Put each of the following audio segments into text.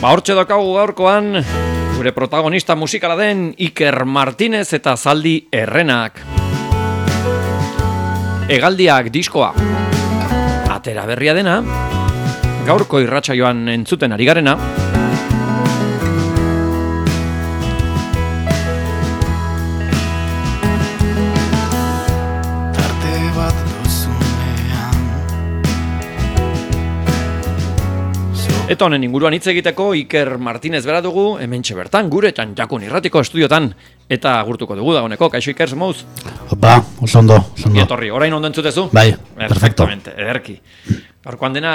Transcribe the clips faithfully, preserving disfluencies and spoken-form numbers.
Ba, hortxe daukagu gaurkoan, gure protagonista musikala den Iker Martinez eta Zaldi Errenak. Hegaldiak diskoa. Atera berria dena, gaurko irratsaioan entzuten ari garena. Eta honen inguruan hitz egiteko Iker Martinez bera dugu, hementxe bertan, gure Txantxakun irratiko estudiotan, eta agurtuko dugu dagoeneko. Kaixo Iker, zemouz? Opa, oso ondo, oso ondo. Etorri, orain ondo entzutezu? Bai, perfecto. Ederki. Gaurkoan dena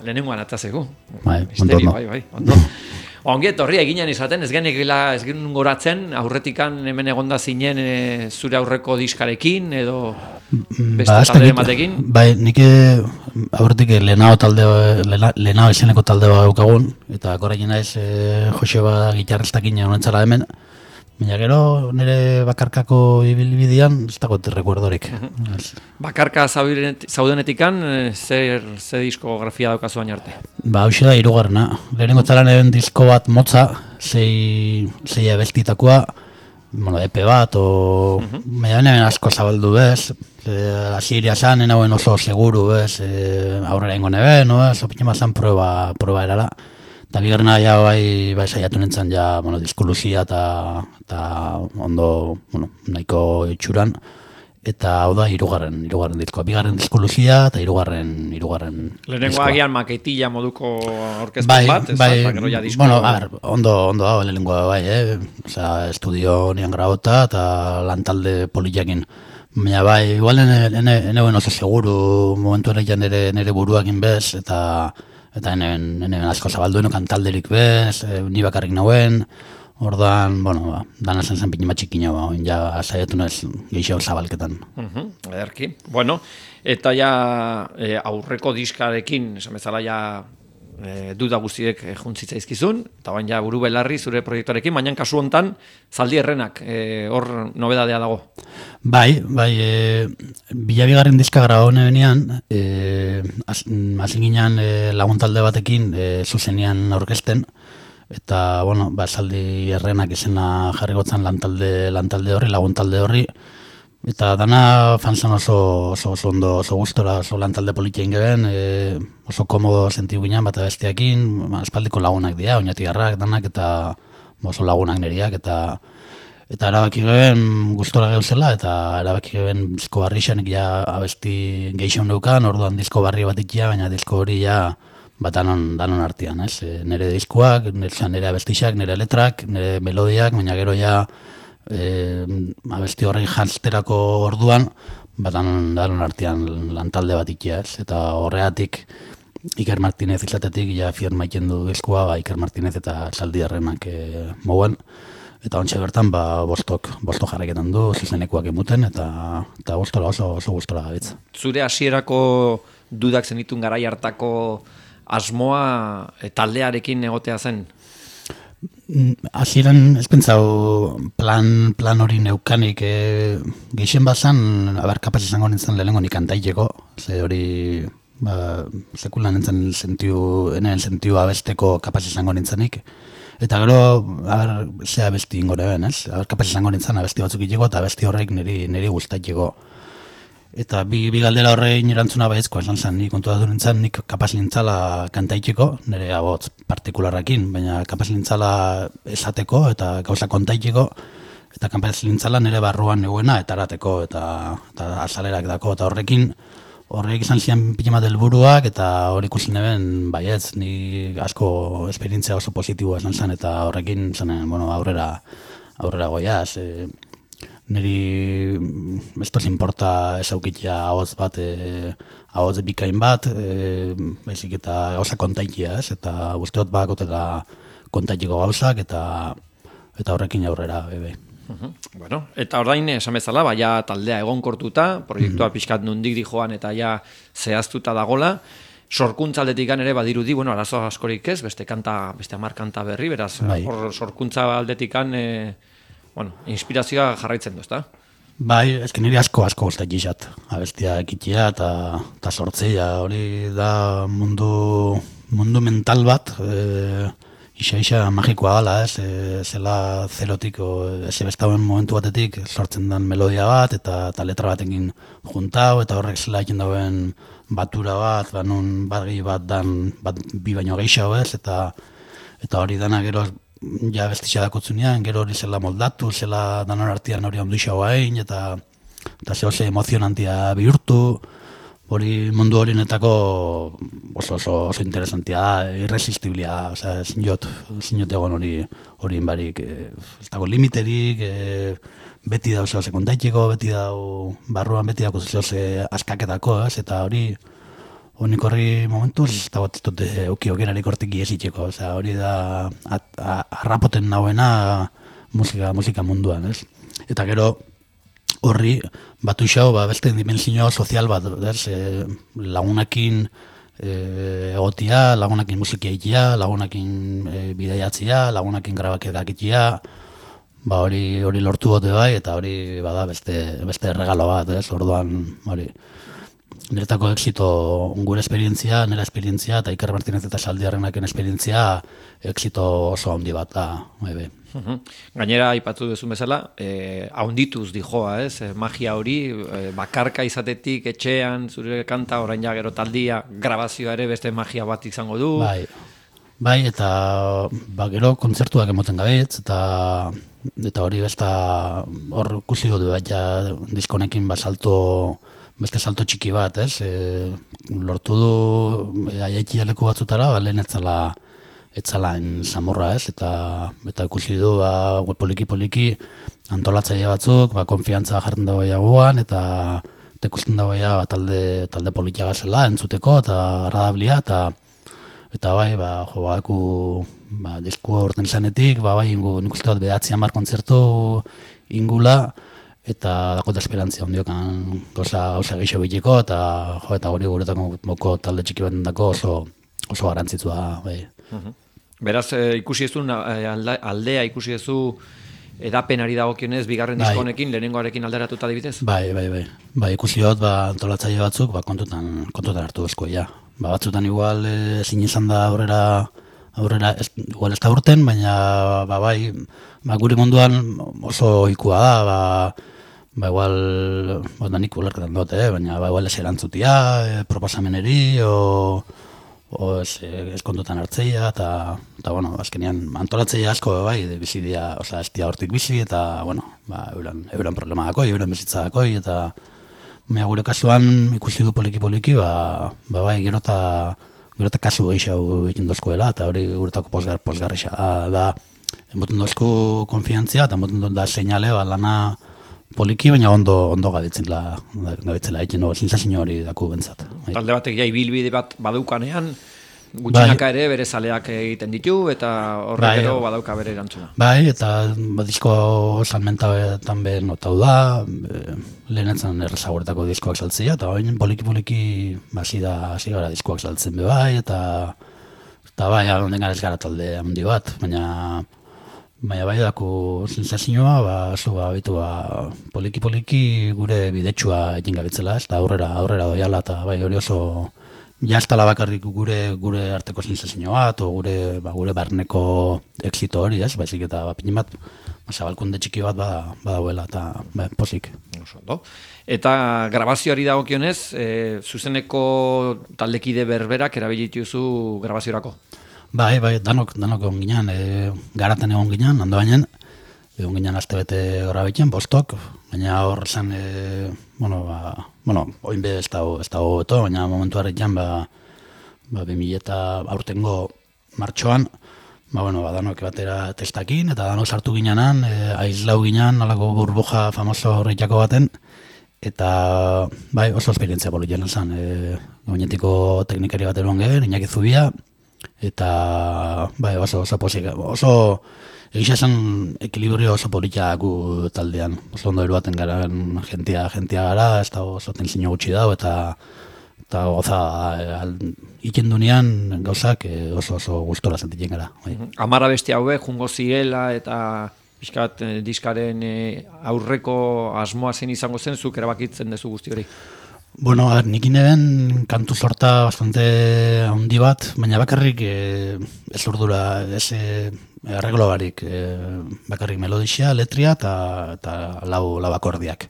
lehenengoan atzazegu. Bai, ondo, ondo. Bai, bai, ondo. Ongi etorri eginen izaten, ez genekila, ez genuen goratzen, aurretikan hemen egonda zinen e, zure aurreko diskarekin, edo beste ba, talde ematekin? Bai, nik aurretik lehenao talde, lehenao izeneko talde bat daukagun, eta korrekin naiz e, Joseba gitarrestakin honentzara hemen, baina gero nire bakarkako ibilbidean ez dago recuerdorik. Bakarka zaudenetikan, zer, zer diskografia daukazu baina arte? Ba, hau da, hirugarrena. Lehenengo txalan eben disko bat motza, zei, zei abestitakoa, bueno, E P bat, o... Uh -huh. Baina hemen asko zabaldu bez, asiria zan, enauen oso seguru bez, e, aurrera ingo nebe, no bez, opinema zan proba, proba erara. Eta bigarrena ja bai, bai saiatu nintzen ja, bueno, diskoluzia eta, eta ondo, bueno, nahiko itxuran. Eta hau da, hirugarren, hirugarren diskoa. Bigarren diskoluzia eta hirugarren, hirugarren lehenengo agian maketilla moduko orkespen bai, bat, ez bai, da, gero ja disko. Bueno, a ver, ondo, ondo da, lehenengoa bai, eh? Osea, estudio nian grabota eta lantalde poliakin. Baina bai, igual ene, ene, ene oso seguru momentu erekian nire, nire buruakin bez, eta eta ene, ene asko zabaldueno kantalderik bez, e, ni bakarrik nauen. Ordan, bueno, ba, dana zen zen pinima txikina, ba, ja saiatu naiz gehiago zabalketan. Uh-huh, ederki. Bueno, eta ja e, aurreko diskarekin, esan bezala ja e, duda guztiek e, juntzitzaizkizun, eta bain ja buru belarri zure proiektuarekin, baina kasu hontan Zaldi Errenak, e, hor nobedadea dago. Bai, bai, e, bilabigarren diska grabau nebenean, e, hazin ginean e, laguntalde batekin e, zuzenian aurkezten, eta, bueno, ba, Zaldi Errenak izena jarri gotzan lantalde, lantalde horri, laguntalde horri, eta dana fanzan oso, oso, oso ondo, oso gustora, oso lantalde politiain geben, e, oso komodo sentiu ginen bat besteakin, ba, espaldiko lagunak dira, oinatigarrak danak, eta oso lagunak neriak, eta eta erabaki geben gustora geuzela, eta erabaki geben disko barri xanik ja abesti geixon neukan, orduan disko barri bat ikia, baina disko hori ja bat danon, danon artean, ez? E, nire diskoak, nire, nire abestixak, nire letrak, nire melodiak, baina gero ja e, abesti horrei jantzterako orduan, bat danon, danon artean lantalde bat ikia, ez? Eta horregatik Iker Martinez izatetik ja firmaiken du diskoa, ba, Iker Martinez eta Zaldi Errenak e, mouen. Eta ontsa bertan, ba, bostok, bostok jarraiketan du, zuzenekuak emuten, eta, eta gustora oso, oso gustora gabitz. Zure hasierako dudak zenitun garai hartako asmoa e, taldearekin egotea zen? Hasieran ez pentsau plan, plan hori neukanik, e, geixen bazan, abar, kapaz izango nintzen lehenengo nik kantaiteko, ze hori, ba, sekulan nintzen sentiu, enen sentiu abesteko kapaz izango nintzenik. Eta gero, abar, ze abesti ingo neben, ez? Aber, kapaz izango nintzen abesti batzuk itxeko, eta abesti horrek niri, niri guztaitxeko. Eta bi, bi galdera horrein erantzuna baitzkoa esan zen, nik kontu datu nintzen, nik kapaz nintzala kantaitxeko, nire abotz partikularrakin, baina kapaz nintzala esateko eta gauza kontaitxeko, eta kapaz nintzala nire barruan neguena eta erateko, eta, eta azalerak dako, eta horrekin, horrek izan zian pitimat helburuak eta hor ikusi neben, baietz, ni asko esperientzia oso positiboa esan zen, eta horrekin zanen, bueno, aurrera, aurrera goiaz, e, niri estos importa esaukitia ahotz bat, e, ahotz bikain bat, e, baizik eta gauza kontaitia, ez? Eta guztiot bakotela kontaitiko gauzak, eta eta horrekin aurrera, bebe. Uh-huh. Bueno, eta orain esan bezala, baia taldea egonkortuta, proiektua uh-huh. pixkat nundik di joan eta ja zehaztuta dagola, sorkuntza aldetikan ere badirudi, bueno, arazo askorik ez, beste kanta, beste hamar kanta berri, beraz, bai. Hor sorkuntza aldetikan, e, bueno, inspirazioa jarraitzen du, ezta? Bai, ezken niri asko asko guztak gizat, abestia ekitia eta, eta sortzea, hori da mundu, mundu mental bat, e, isa-isa magikoa gala, ez, e, zela zerotik, ez ebestauen momentu batetik sortzen den melodia bat, eta, eta letra batekin juntau, eta horrek zela egin dauen batura bat, ba, nun bat gehi bat dan, bat bi baino gehiago ez, eta eta hori dana gero ja bestia dakotzunean, gero hori zela moldatu, zela danon artean hori ondu xaua egin, eta eta zehose emozionantia bihurtu, hori mundu horienetako oso, oso, oso interesantia da, irresistiblia da, osea, zinot, zinot egon hori hori barik, e, ez dago limiterik, e, beti da oso sekundaiteko, beti da barruan beti dago zehose askaketako, ez, eta hori honik horri momentuz, ez da bat dute euki okerarik hortik iesitzeko, osea, hori da harrapoten nagoena musika, musika munduan, ez, eta gero horri batu xau, ba, beste dimensio sozial bat, ez, e, lagunakin e, egotia, lagunakin musiki egitea, lagunakin e, bideiatzea, lagunakin grabaketak egitea, ba, hori hori lortu bote bai, eta hori bada beste, beste regalo bat, ez, orduan, hori, niretako exito gure esperientzia, nire esperientzia, eta Iker Martinez eta Saldiarrenaken esperientzia, exito oso handi bat da, bai, bai. Gainera, aipatu duzun bezala, eh, haundituz dijoa, ez? Eh, magia hori, eh, bakarka izatetik, etxean, zure kanta, orain ja gero taldia, grabazioa ere beste magia bat izango du. Bai, bai eta ba, gero kontzertuak emoten gabetz, eta eta hori besta hor ikusi dut, bat ja diskonekin ba, salto, beste salto txiki bat, ez? E, lortu du e, aiaiki leku batzutara, ba, lehen etzala etzalain samurra, ez, eta eta ikusi du ba, poliki-poliki antolatzaile batzuk, ba, konfiantza jartzen dago guan, eta eta ikusten dago ba, talde, talde politia gazela entzuteko, eta agradablia, eta eta bai, ba, jo, baku, ba, disku orten izanetik, ba, bai, ingu, nik uste dut behatzi hamar kontzertu ingula, eta dakota esperantzia ondiokan goza, goza gehiago bitiko, eta jo, eta hori guretako moko talde txiki bat dako oso, oso garantzitsua, bai. Uh-huh. Beraz, e, ikusi ezu, aldea ikusi ezu edapenari dagokionez, bigarren bai. diskonekin, lehenengoarekin alderatuta adibidez? Bai, bai, bai. Bai, ikusi dut, ba, antolatzaile batzuk, ba, kontutan, kontutan hartu bezko, ja. Ba, batzutan igual ezin izan da aurrera, aurrera, ez, igual ez da urten, baina, ba, bai, ba, guri munduan oso ikua da, ba, ba, igual, ba, da nik ulerketan dut, eh, baina, ba, igual ez erantzutia, eh, proposameneri, o... o ez, ez kontutan hartzeia, eta, eta bueno, azkenean antolatzeia asko bai, bizi dia, osea, ez dia hortik bizi, eta, bueno, ba, euran, euran problema dakoi, euran bizitza dakoi, eta mea gure kasuan ikusi du poliki-poliki, ba, ba bai, gero eta gero eta kasu gehiago egin dozkoela, eta hori guretako posgar, posgarrixa da, emoten dozku konfiantzia, eta emoten da seinale, ba, lana poliki, baina ondo ondo gabitzela, gabitzela egin no, sensazio hori daku bentzat. Talde batek ja ibilbide bat badaukanean, gutxinaka ere bere zaleak egiten ditu, eta horrek gero badauka bere erantzuna. Bai, eta disko salmentabetan behar notau da, e, lehenetzen errezaguretako diskoak saltzea, eta baina poliki-poliki hasi da, hasi gara diskoak saltzen be bai, eta eta bai, onden gara ez gara talde handi bat, baina Baina bai dako sensazioa, ba, zu, ba, bitu, ba, poliki-poliki gure bidetsua egin gabitzela, ez da aurrera, aurrera doiala, eta bai hori oso jaztala bakarrik gure gure arteko sensazioa, eta gure, ba, gure barneko exito hori, ez, baizik eta ba, pinin bat, zabalkunde txiki bat bada, badauela, eta ba, posik. Eta grabazioari dagokionez, e, zuzeneko taldekide berberak erabilituzu grabaziorako? Bai, bai, danok, danok egon ginen, e, garaten egon ginen, hando bainen, egon ginen azte bete gora betien, bostok, baina hor zen, e, bueno, ba, bueno, oin be ez dago, ez dago beto, baina momentu harritan, ba, ba, bi mila eta aurtengo martxoan, ba, bueno, ba, danok batera testakin, eta danok sartu ginenan, e, aizlau ginen, alako burbuja famoso horretako baten, eta, bai, oso esperientzia politien zen, e, gainetiko teknikari bat eron gehen, Iñaki Zubia, eta bai, oso oso posik, oso egia esan ekilibrio oso politia gu taldean, oso ondo eruaten gara jentia, jentia gara, ez da oso tensiño gutxi dago, eta eta goza iken dunean gauzak oso oso gustora sentitzen gara. Bai. Amara beste haue, jungo zirela, eta pixkat diskaren aurreko asmoa zen izango zen, zuk erabakitzen dezu guzti hori? Bueno, a ver, nik ineben kantu sorta bastante handi bat, baina bakarrik e, ez urdura, ez e, arreglo barik, e, bakarrik melodixia, letria eta, eta lau, lau akordiak.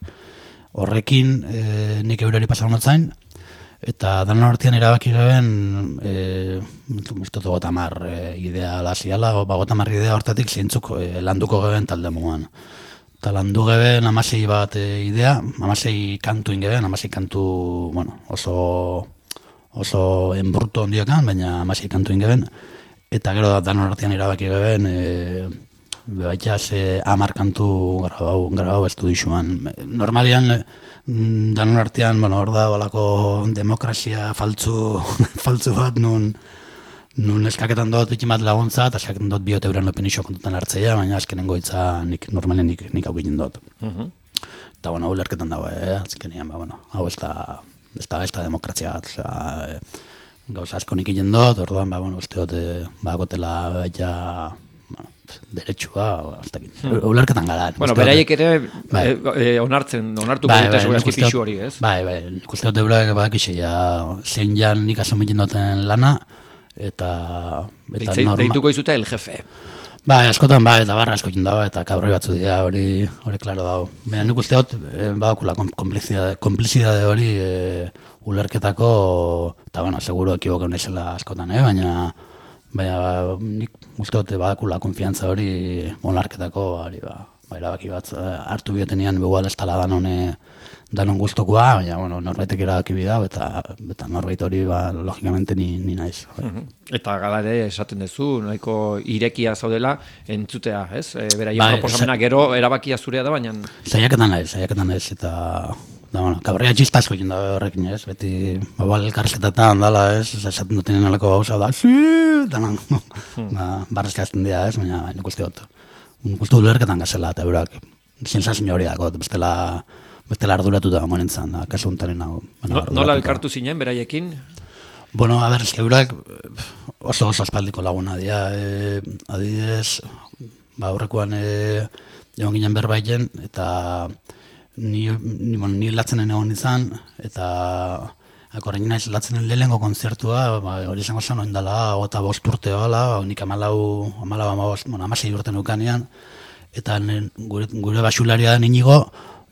Horrekin e, nik eurari pasan notzain, eta danon artean erabaki geben, e, mustotu gotamar e, idea laziala, ba, gotamar idea hortatik zeintzuk e, landuko geben talde mugan. Eta landu geben amasei bat e, idea, amasei kantu ingeben, amasei kantu, bueno, oso, oso enbruto ondiokan, baina amasei kantu ingeben. Eta gero danon artean erabaki geben, e, bebaitaz e, amar kantu grabau, grabau estudixuan. Normalian, danon artean, bueno, hor da, balako demokrazia faltzu, faltzu bat, nun, nun eskaketan dut ikin bat laguntza, eta eskaketan dut biot euren opinixo kontutan hartzeia, baina azkenengo hitza nik, normalen nik, nik aukiten dut. Uh-huh. Eta, bueno, hau lerketan dago, eh? Azkenean, ba, bueno, hau ez da, ez da, ez da demokrazia bat, oza, e, gauza asko nik egin dut, orduan, ba, bueno, uste dut, e, ba, gotela, baita, bueno, derechua, hasta aquí. Hmm. Ulerketan gara. Bueno, beraiek ere bai. e, onartzen, onartuko bai, dute bai, segurazki pixu hori, ez? Bai, bai, ikuste dut eurak badakixe, ja, zein jan nik asumitzen duten lana, eta... eta Deitzei, norma... Deituko izute el jefe. Bai, askotan, bai, eta barra asko dago, eta kabroi batzu dira, hori, hori klaro dago. Baina nik uste dut, eh, badakula komplizidade hori e, ulerketako, eta, bueno, seguro ekibokan naizela askotan, eh? baina... Baina nik uste dut badakula konfiantza hori onarketako, hori ba, ba erabaki bat hartu biotenean begual ez tala danon, danon guztokoa, baina bueno, norbaitek erabaki bidau, eta, eta norbait hori ba, logikamente ni, ni naiz. Uh-huh. Eta gala ere esaten duzu, nahiko irekia zaudela entzutea, ez? E, Beraien ba, proposamena gero erabakia zurea da, baina... Zaiaketan naiz, zaiaketan naiz, eta... Da, bueno, kabrea txista asko jenda horrekin, ez? Beti, babal elkarrizketetan dala, ez? Esaten duten alako gauza da, sí! Danan, hmm. ba, barrezka ezten dira, ez? Baina, nik uste dut. Nik uste dut lerketan gazela, eta eurak, sensazio hori dago, bestela, bestela arduratuta morentzan, da, kasu untaren hau. No, nola elkartu zinen, beraiekin? Bueno, a ber, ez que eurak oso oso aspaldiko laguna dira. E, adidez, ba, aurrekoan e, egon ginen berbaiten, eta... Ni, ni, bueno, ni latzenen egon izan, eta akorrein naiz latzenen lehengo konzertua, ba, hori izango zen, oindala, eta bost urte bala, ba, nik amalau, amalau, amabost, bueno, amasei urte nukanean, eta nen, gure, gure basularia da Inigo,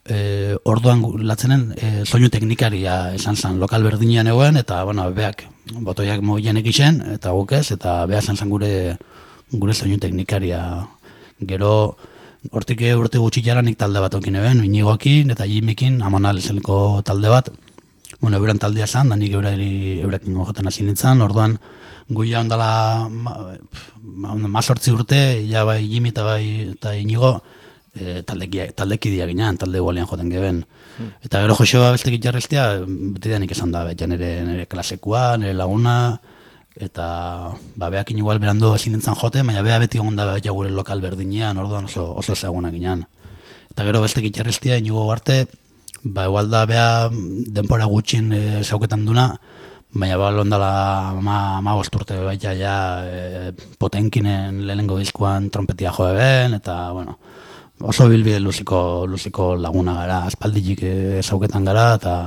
e, orduan latzenen e, soinu teknikaria esan zen, lokal berdinean egoen, eta, bueno, beak, botoiak mogilenek isen, eta guk ez, eta beha esan zen gure, gure soinu teknikaria, gero, hortik urte gutxi jara nik talde bat okin eben, Inigoakin eta Jimikin, Amonal ezelko talde bat. Bueno, euren taldea zan, da nik eurekin joten hasi nintzen, orduan guia ondala mazortzi urte, ja bai Jimi eta bai eta Inigo e, taldeki dia ginean, talde gualian joten geben. Hmm. Eta gero Joseba bestek jarreztea, beti da nik esan da, betxan nire, nire klasekua, nire laguna, eta ba, beakin igual berando ezin nintzen jote, baina bea beti egon da beha gure lokal berdinean, orduan oso, oso ezagunak ginean. Eta gero bestek itxarreztia, Inigo arte, ba, igual da beha denpora gutxin e, zauketan duna, baina ba, londala ma, ma bosturte baita ja e, Potenkinen lehenengo diskuan trompetia joe ben, eta bueno, oso bilbide luziko, luziko laguna gara, aspalditik e, zauketan gara, eta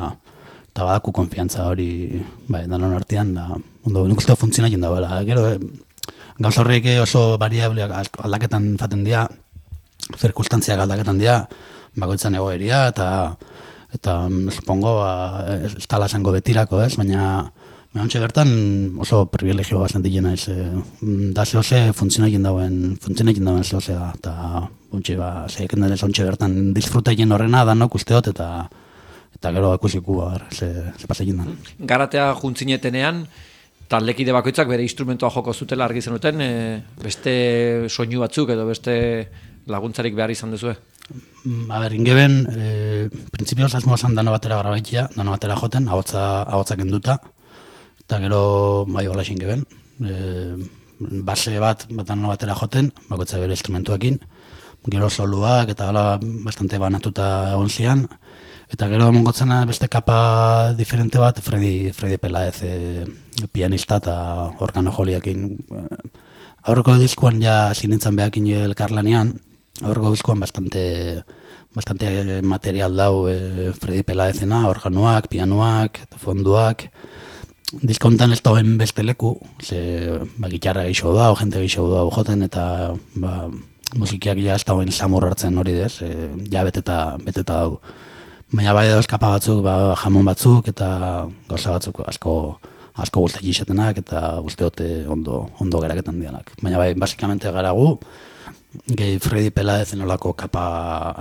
eta badaku konfiantza hori, bai, danon artean, da, ondo, nik uste funtzionatzen da, bela. Gero, e, gauz horrek oso variableak aldaketan faten dira, zirkustantziak aldaketan dira, bakoitzan egoeria, eta, eta supongo, ba, ez tala zango betirako, ez, baina, baina ontsa bertan oso privilegio bastante jena, ez, e, da zehose funtzionatzen dauen, funtzionatzen dauen zehose da, eta, ontsa, ba, zeiken denez ontsa bertan disfrutatzen horrena, danok uste dut, eta, eta gero akusiku bar, ze, ze pasekin da. Garatea juntzinetenean, taldekide bakoitzak bere instrumentoa joko zutela argi zenuten, e, beste soinu batzuk edo beste laguntzarik behar izan duzue? A ber, ingeben, e, printzipioz asmoa zan dano batera grabaitia, dano batera joten, ahotza kenduta, eta gero bai hola ingeben, e, base bat, bat dano batera joten, bakoitza bere instrumentuekin, gero soluak eta hala bastante banatuta egon zian, eta gero mongotzena beste kapa diferente bat, Fredi, Fredi Pelaez, e, pianista eta organo joliakin. Aurreko diskuan ja sinintzen behakin elkarlanean, aurreko diskoan bastante, bastante material dau e, Fredi Pelaezena, organoak, pianoak, fonduak. Diskontan ez dauen beste leku, ze ba, gitarra gehiago da, jente gehiago da joten, eta ba, musikiak ja ez dauen samur hartzen hori dez, e, ja beteta, beteta dau. Baina bai dauz kapa batzuk, ba, jamon batzuk, eta gauza batzuk asko asko guztak izatenak, eta uste dute ondo, ondo geraketan dianak. Baina bai, basikamente gara gu, gehi Fredi Pelaezen olako kapa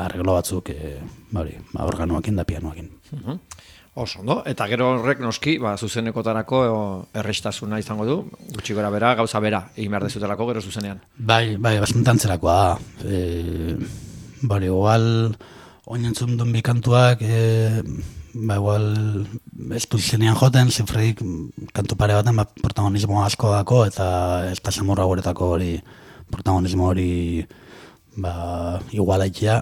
arreglo batzuk, e, bari, ba, organoakin da pianoakin. Uh-huh. Oso, ondo. Eta gero horrek noski, ba, zuzenekotarako errestasuna izango du, gutxi gora bera, gauza bera, egin behar dezutelako gero zuzenean. Bai, bai, bastante antzerakoa da. E, bari, igual, oinentzun duen bikantuak, e, ba, igual, ez du zenean joten, Zifredik kantu pare baten, ba, protagonismo asko dako, eta ez da samurra guretako hori, protagonismo hori, ba, igualaikia.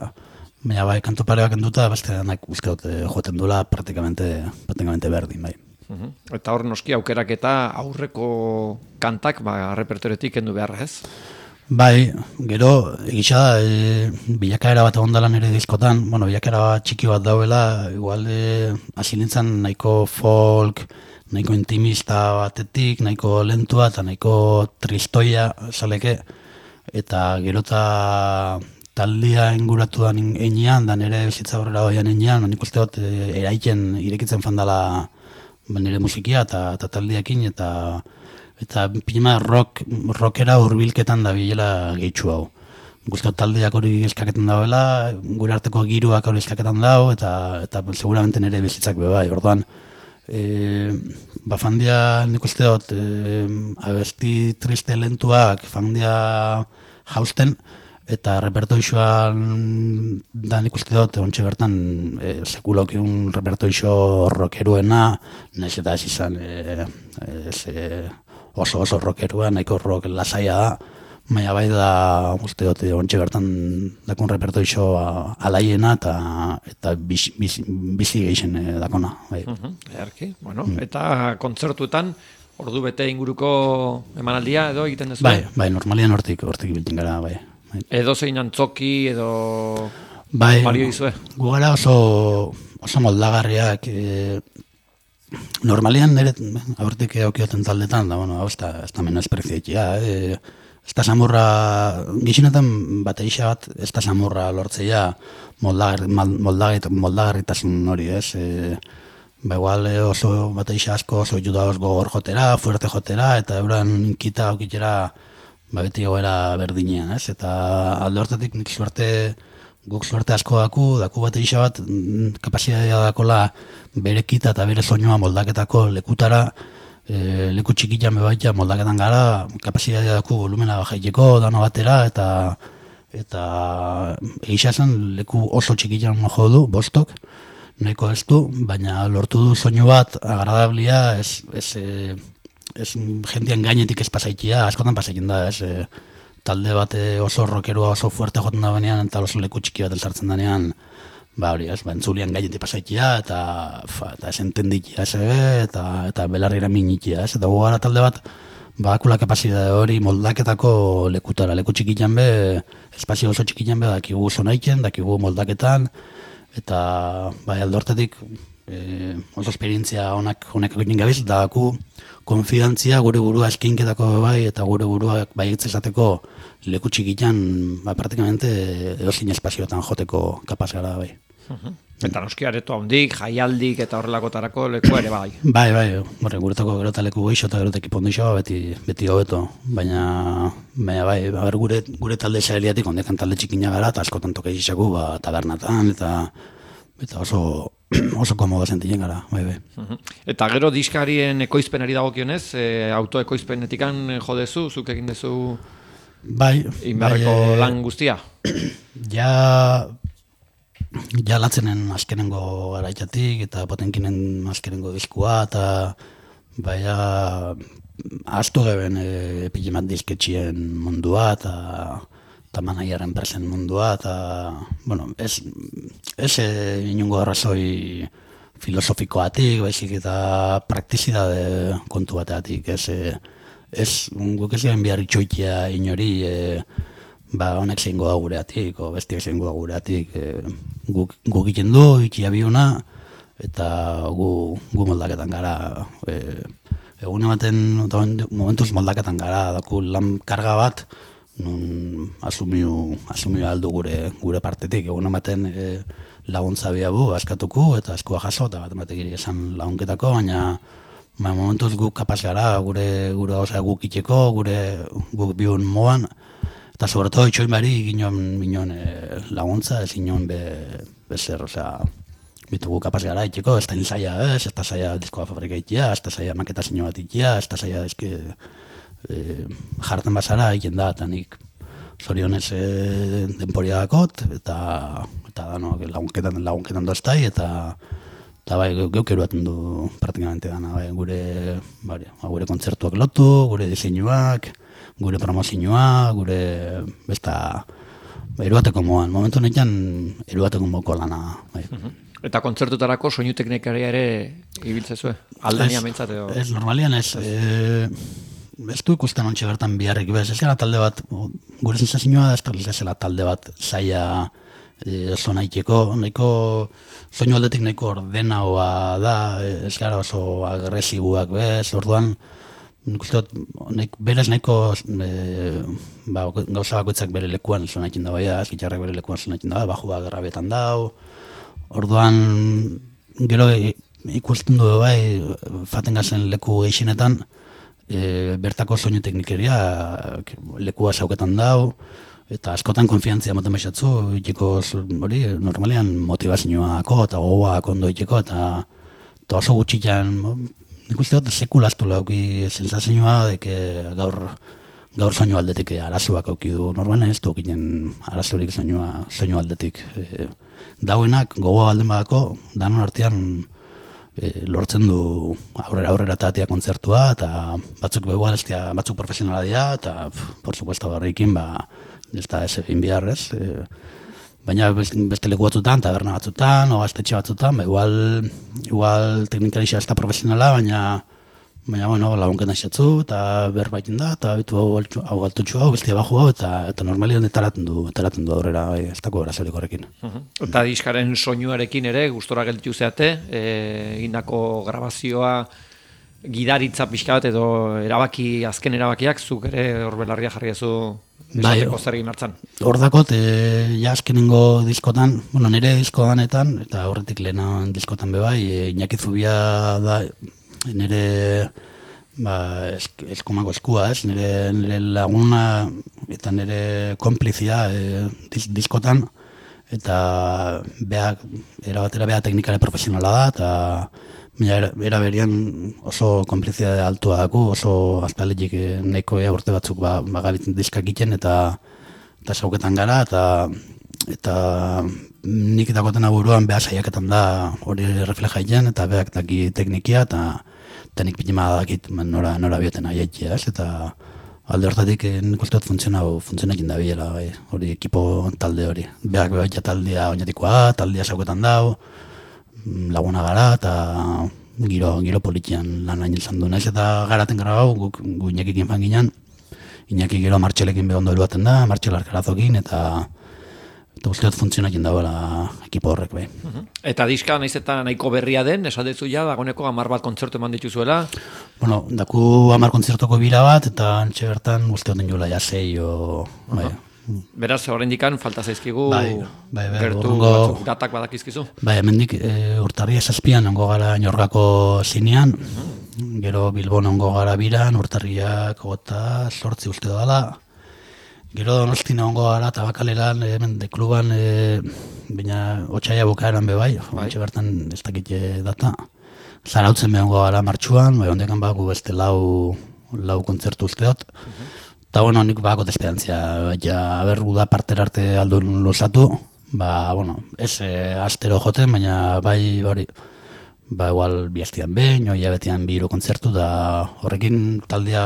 Baina bai, kantu pareak enduta, beste denak uste dut joten dula praktikamente, praktikamente berdin, bai. Uh-huh. Eta hor noski aukerak eta aurreko kantak, ba, repertoretik kendu behar, ez? Bai, gero, egitxa da, e, bilakaera bat egon dela nire diskotan, bueno, bilakaera txiki bat dauela, igual e, hasi nintzen nahiko folk, nahiko intimista batetik, nahiko lentua eta nahiko tristoia, saleke, eta gero eta taldia inguratu da enean, da nire bizitza horrela hoian enean, nik uste dut e, eraiken irekitzen fandala nire musikia eta, eta taldiakin, eta eta pima rock, rockera hurbilketan da bilela gehitxu hau. Guzti taldeak hori eskaketan dauela, gure arteko giruak hori eskaketan dau, eta, eta seguramente nire bizitzak bebai, orduan. E, ba fandia nik uste dut, e, abesti triste lentuak fandia jausten, eta repertoixoan da nik uste dut, ontsi bertan e, sekulokiun repertoixo rockeruena, nahiz eta ez izan e, ez, e, oso oso rockerua, nahiko rock lasaia da, baina bai da uste dut ontsi bertan dakon repertoixo alaiena eta, eta bizi, bizi, bizi geixen e, dakona. Bai. Uh-huh. Earki, bueno, mm. Eta kontzertuetan ordu bete inguruko emanaldia edo egiten dezu? Bai, bai, normalian hortik, hortik biltzen gara, bai. Edo zein antzoki, edo bai, balio izue? Gu gara oso, oso moldagarriak, e, normalian nire aurtik eukioten taldetan, da, bueno, hau ez da menos prezioetia, e, ez da samurra, gixinetan bateixa bat, ez da samurra lortzeia moldagarritasun hori, ez, e, ba igual oso bateixa asko oso judaoz gogor jotera, fuerte jotera, eta euran kita aukitera, ba beti goera berdinean, ez? Eta alde hortatik nik suerte, guk suerte asko daku, daku bat eixa bat, kapazitatea dakola bere kita eta bere soinua moldaketako lekutara, e, leku txikitan bebaita moldaketan gara, kapazitatea daku volumena bajaiteko dano batera, eta eta eixa zen leku oso txikitan jo du, bostok, nahiko ez du, baina lortu du soinu bat agradablia, ez, ez e, ez jendean gainetik ez pasaitia, askotan pasaikin da, ez, e, talde bat oso rockerua oso fuerte joten da benean, eta oso leku txiki bat elzartzen denean, ba hori, ez, ba, entzulian gainetik pasaitia, eta, fa, eta ez entendikia, ez, eta, eta belarrira minitia, ez, eta gugara talde bat, ba, akula kapazidade hori moldaketako lekutara, leku txikitan be, espazio oso txikitan be, dakigu zonaiken, dakigu moldaketan, eta, bai, aldortetik, e, oso esperientzia honak honek egin gabiz, daku konfidantzia gure burua eskinketako bai, eta gure burua bai esateko leku txikitan, ba, praktikamente edozein espazioetan joteko kapaz gara bai. Uh-huh. Eta noski areto handik, jaialdik eta horrelakotarako leku ere bai. Bai, bai, horre, guretako gero eta leku geixo eta gero eta ekipondixo beti, beti hobeto, baina, baina bai, ber, gure, gure talde xaeliatik ondekan talde txikina gara, eta askotan toke izaku, ba, tabernatan, eta eta oso oso komodo sentitzen gara, bai, bai. Uh-huh. Eta gero diskarien ekoizpenari dagokionez, e, autoekoizpenetikan jodezu, zuk egin dezu bai, inbarreko bai, lan guztia? Ja, ja latzenen azkenengo garaitatik, eta potenkinen azkenengo diskua, eta bai, ja, astu geben e, pilimat disketxien mundua, eta eta manaiaren presen mundua, eta, bueno, ez, ez e, inungo arrazoi filosofikoatik, baizik eta praktizidade kontu bateatik, ez, e, ez, guk ez garen behar itxoitia inori, e, ba, honek zeingo da gureatik, o bestiak zeingo da gureatik, e, guk, guk egiten du, ikia biuna, eta gu, gu moldaketan gara, e, egun ematen, momentuz moldaketan gara, daku lan karga bat, nun asumiu, asumiu aldu gure, gure partetik, egun ematen e, laguntza biabu, askatuko, eta eskua jaso, eta bat ematek esan lagunketako, baina ba, momentuz guk kapaz gara, gure, gure gauza guk itxeko, gure guk biun moan, eta sobretodo itxoin bari ginen, ginen e, laguntza, ez ginen be, bezer, osea, bitugu kapaz gara itxeko, ez da zaila ez, ez da zaila diskoa fabrika itxia, ez da zaila maketa zinio bat itxia, ez da zaila eske e, jarten bazara egin da, eta nik zorionez e, denporia dakot, eta, eta dano, lagunketan, lagunketan doztai, eta eta bai, geuk eruaten du praktikamente dana, bai, gure, bai, gure kontzertuak lotu, gure diseinuak, gure promozioa, gure besta eruateko moan, momentu honetan eruateko moko lana. Bai. Eta kontzertutarako soinu teknikaria ere ibiltzezue? Aldania mentzat edo? Ez, normalian ez. E, ez du ikusten ontsi bertan biharrik, bez, ez gara talde bat, gure sensazioa da ez dela talde bat zaila oso nahiteko, nahiko soinu aldetik nahiko ordenaua da, ez gara oso agresibuak bez, orduan nik uste dut, berez nahiko e, ba, gauza bakoitzak bere lekuan sonatzen da bai, gitarrak bere lekuan sonatzen da, bajua gerrabetan dau, orduan gero ikusten du bai, faten gazen leku gehienetan, e, bertako soinu teknikeria lekua zauketan dau, eta askotan konfiantzia moten baixatzu, itxeko hori, normalean motivazioako eta gogoak ondo itxeko, eta, eta oso gutxitan, nik uste dut sekulaztu lauki sensazioa, deke gaur, gaur soinu aldetik arazoak auki du, normalean ez du okinen arazorik soinua, soinu aldetik. E, dauenak gogoa alden badako, danon artean e, lortzen du aurrera aurrera tatea kontzertua, eta batzuk begual estia, batzuk profesionala dira, eta por supuesto barrikin, ba, ez da ez egin biharrez, e, baina beste leku batzutan, taberna batzutan, o gaztetxe batzutan, ba, igual, igual teknikarixa ez da profesionala, baina, baina bueno, lagunken aixatzu, eta berbaitin da, eta bitu hau, hau altutxu hau, bestia baju hau, eta, eta normalian etaraten du, etaraten du aurrera, bai, ez dako erazorik horrekin. Uh-huh. Eta diskaren soinuarekin ere, gustora gelditu zeate, egindako grabazioa, gidaritza pixka bat edo erabaki, azken erabakiak, zuk ere hor belarria jarri ezu esateko zer egin hartzan. Hor dakot, e, ja azkenengo diskotan, bueno, nire diskodanetan, eta horretik lehenan diskotan bebai, e, Iñaki Zubia da nire ba, esk, eskumako eskua, ez? Nire, nire laguna eta nire konplizia e, diz, diskotan, eta beak, erabatera beha teknikare profesionala da, eta Era, era berian oso konplizia altua daku, oso azpaletik nahiko ea urte batzuk ba, bagabitzen diskak iten, eta eta sauketan gara, eta eta nik dakoten aburuan beha saiaketan da hori refleja iten, eta beak daki teknikia, eta, eta nik pitima dakit nora, nora bioten aiaitia, ez, eta alde hortatik nik uste dut funtzionakin da biela, bai, hori ekipo talde hori. Beak beha taldea oinatikoa, taldea sauketan dau, laguna gara, eta giro, giro politian lan hain izan du. Naiz eta garaten gara hau, guk gu Iñakikin fan ginen, Iñaki gero Martxelekin behondo helbaten da, Martxel Arkarazokin, eta eta uste dut funtzionakin dagoela ekipo horrek, bai. Uh-huh. Eta diska naiz eta nahiko berria den, esatezu ja, dagoneko hamar bat kontzertu eman dituzuela? Bueno, daku hamar kontzertoko bira bat, eta antxe bertan uste dut jola ja sei, o, bai. Uh-huh. Beraz, horrein dikan, falta zaizkigu, bai, bai, bai, gertu urrungo, batzuk datak badakizkizu? Bai, hemendik e, urtarria zazpian ongo gara Ñorgako zinean, uh-huh. Gero Bilbon ongo gara biran, urtarriak gota sortzi uste dala, gero Donostina ongo gara Tabakaleran, hemen de kluban, e, baina otxaia bukaeran be bai, bai. Bertan ez dakit data, Zarautzen be ongo gara martxuan, bai, ondekan baku beste lau, lau kontzertu uste dut, uh-huh. Eta, bueno, nik bakot esperantzia, ja, ber, uda partera arte aldun luzatu, ba, bueno, ez e, astero joten, baina bai, bari, ba, igual bihaztian behin, oia betian bi hiru kontzertu, da horrekin taldea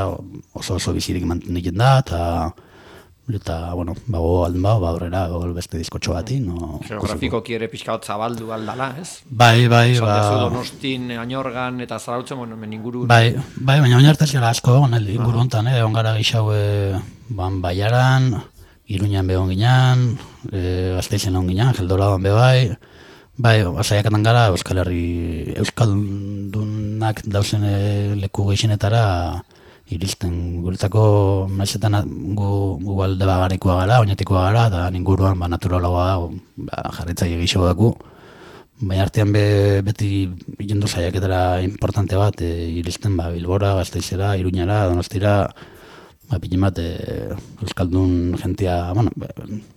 oso oso bizirik mantenik da, eta, eta, bueno, bago alden bau, ba, horrela, beste diskotxo bati, no... Geografikoki ere pixka bat zabaldu aldala, ez? Bai, bai, ba... Zantezu Donostin, Añorgan eta Zarautzen, bueno, men inguru... Bai, bai, baina oinartez gara asko, inguru honetan, eh, ongara gixau, ban, Baiaran, Iruñan behon ginean, e, Gasteizen egon ginean, Geldolaban be bai, bai, saiakatan gara Euskal Herri, Euskaldunak dauzen e, leku gehixenetara iristen. Guretako maizetan gu, gu alde bagarikoa gara, oinetikoa gara, eta ninguruan ba, naturalagoa ba, jarritzaile gixo daku. Baina artean be, beti jendu saiaketara importante bat, e, iristen ba, Bilbora, Gasteizera, Iruñara, Donostira, ba, pinin bat, e, Euskaldun jentia, bueno,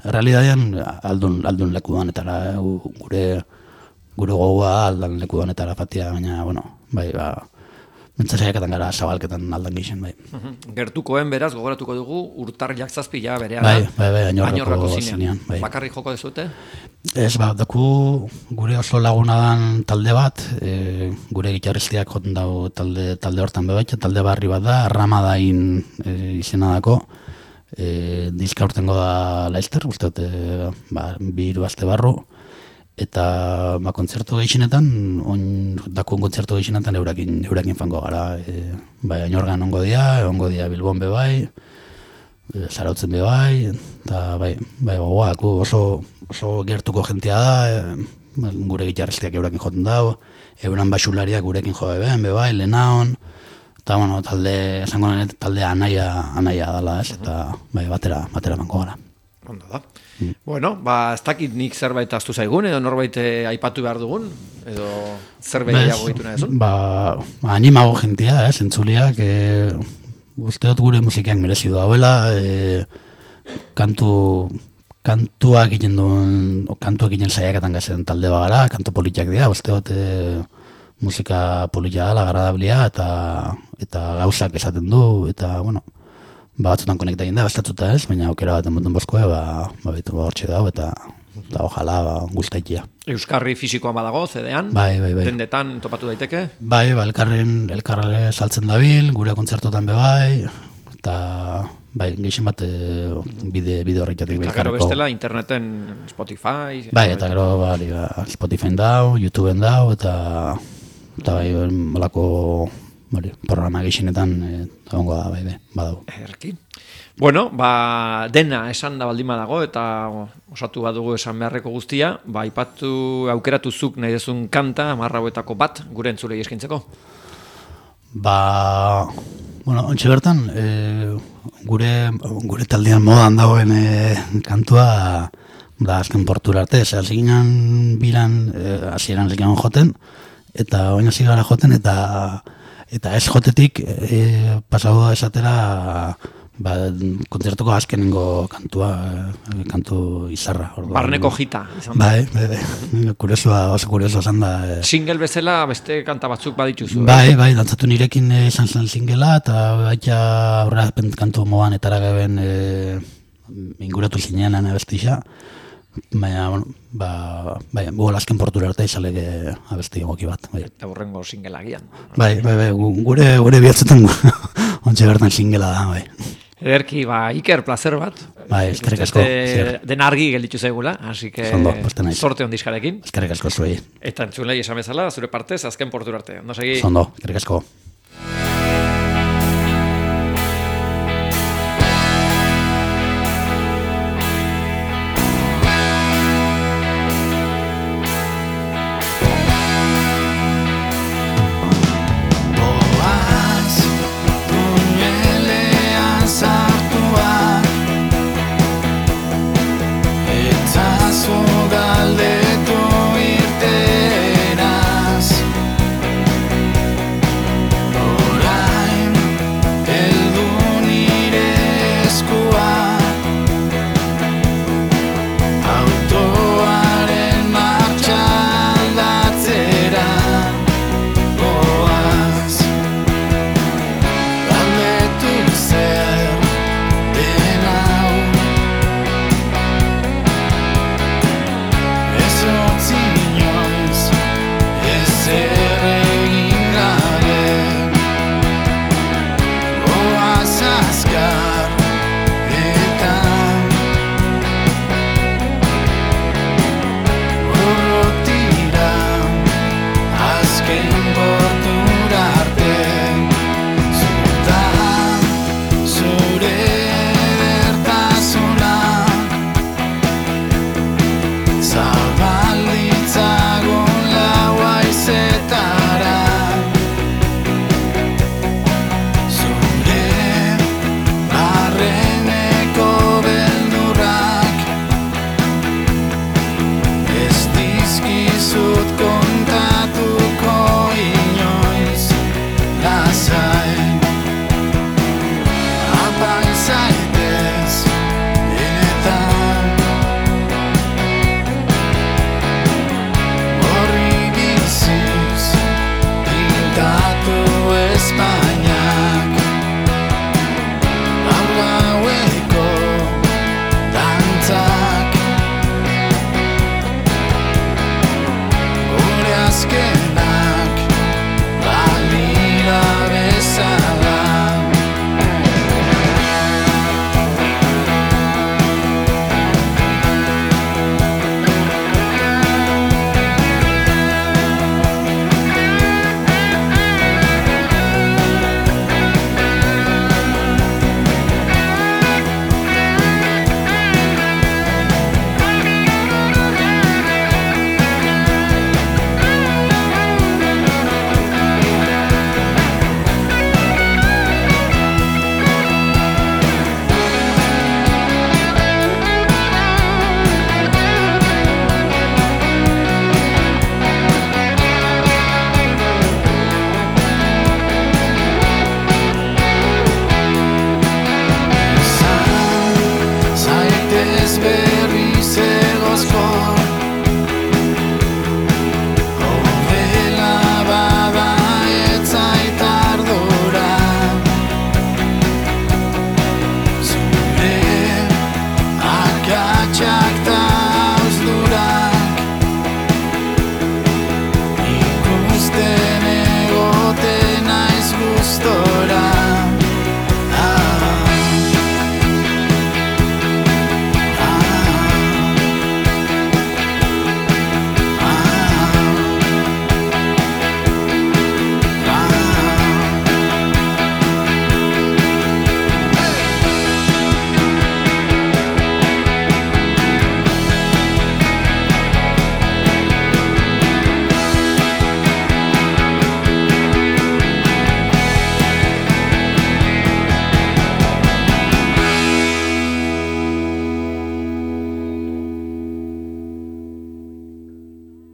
realidadean aldun, aldun leku danetara, gure, gure gogoa aldan leku danetara fatia, baina, bueno, bai, ba, mentzasaiakatan gara zabalketan aldan gixen, bai. Gertukoen beraz, gogoratuko dugu, urtarriak zazpi ja berea bai, bai, bai, añorrako zinean. Bai. Bakarrik joko dezute? Ez, ba, daku gure oso laguna dan talde bat, e, gure gitarristiak joten dago talde, talde hortan bebaitxe, talde barri bat da, Ramadain e, izena dako, e, diska urtengo da Leicester, uste dut, e, ba, bi hiru aste barru, eta ba, kontzertu gehienetan, on, dakun kontzertu gehienetan eurakin, eurakin fango gara, e, bai, Añorgan ongo dia, ongo dia Bilbon bebai, e, Zarautzen bebai, eta bai, bai, gogoak, oso, oso gertuko jentia da, e, gure gitarristiak eurakin joten dago, euran basulariak gurekin jo beben, bebai, lehenaon, eta bueno, talde, esango nahi, talde anaia, anaia dala, ez, eta bai, batera, batera banko gara. Ondo da. Mm. Bueno, ba, ez dakit nik zerbait aztu zaigun, edo norbait aipatu behar dugun, edo zerbait gehiago gitu nahi zuen? Ba, animago jentia, ez, entzuliak, e, uste dut gure musikiak merezi dauela, e, kantu, kantuak egiten duen, o, kantuak egiten saiaketan gazen talde bagara, kantu politiak dira, uste dut e, musika politia dela, agradablia, eta, eta gauzak esaten du, eta, bueno, ba, batzutan konekta egin da, bastatzuta ez, baina aukera bat emoten bozkoa, ba, ba, bitu, ba, hortxe dago, eta, eta ojala, ba, guztaikia. Euskarri fisikoan badago, zedean? Bai, bai, bai. Dendetan topatu daiteke? Bai, ba, elkarren, elkarre saltzen dabil, gure kontzertotan be bai, eta, bai, geixen bat, e, bide, bide horretatik belkarreko. Eta gero bestela, interneten Spotify? Bai, eta gero, ba, Spotify dau, YouTubeen dau, eta, eta bai, molako, Bari, programa gehienetan egongo da, bai, badau. Erki. Bueno, ba, dena esan da baldin badago, eta osatu badugu esan beharreko guztia, ba, ipatu aukeratuzuk nahi dezun kanta, hamar hauetako bat, gure entzulei eskintzeko. Ba, bueno, ontxe bertan, e, gure, gure taldean modan dagoen e, kantua, da, azken portura arte, ze alziginan bilan, e, hasieran ziginan joten, eta oina zigara joten, eta Eta ez jotetik e, pasau da esatera ba, kontzertuko azkenengo kantua, e, kantu izarra. Orduan. Barneko jita. Izan da. Bai, bai, bai. Kuriosua, oso kurioso esan da. E. Single bezala beste kanta batzuk badituzu. Bai, bai, dantzatu nirekin izan zen singela, eta baita aurra kantu moan etara geben e, inguratu zinean abestixa. Baina, bueno, ba, bai, gugo azken portura arte izalege abesti egoki bat. Bai. Eta burrengo singela gian. Bai, bai, bai, gure, gure bihatzetan ontsa bertan singela da, bai. Ederki, ba, Iker, placer bat. Bai, eskerrik asko. Den argi gelditu zaigula, así que Zondo, sorte ondizkarekin. Eskerrik asko zuei. Eta entzulei esan bezala, zure partez, azken portura arte. Ondo segi. Zondo, eskerrik asko.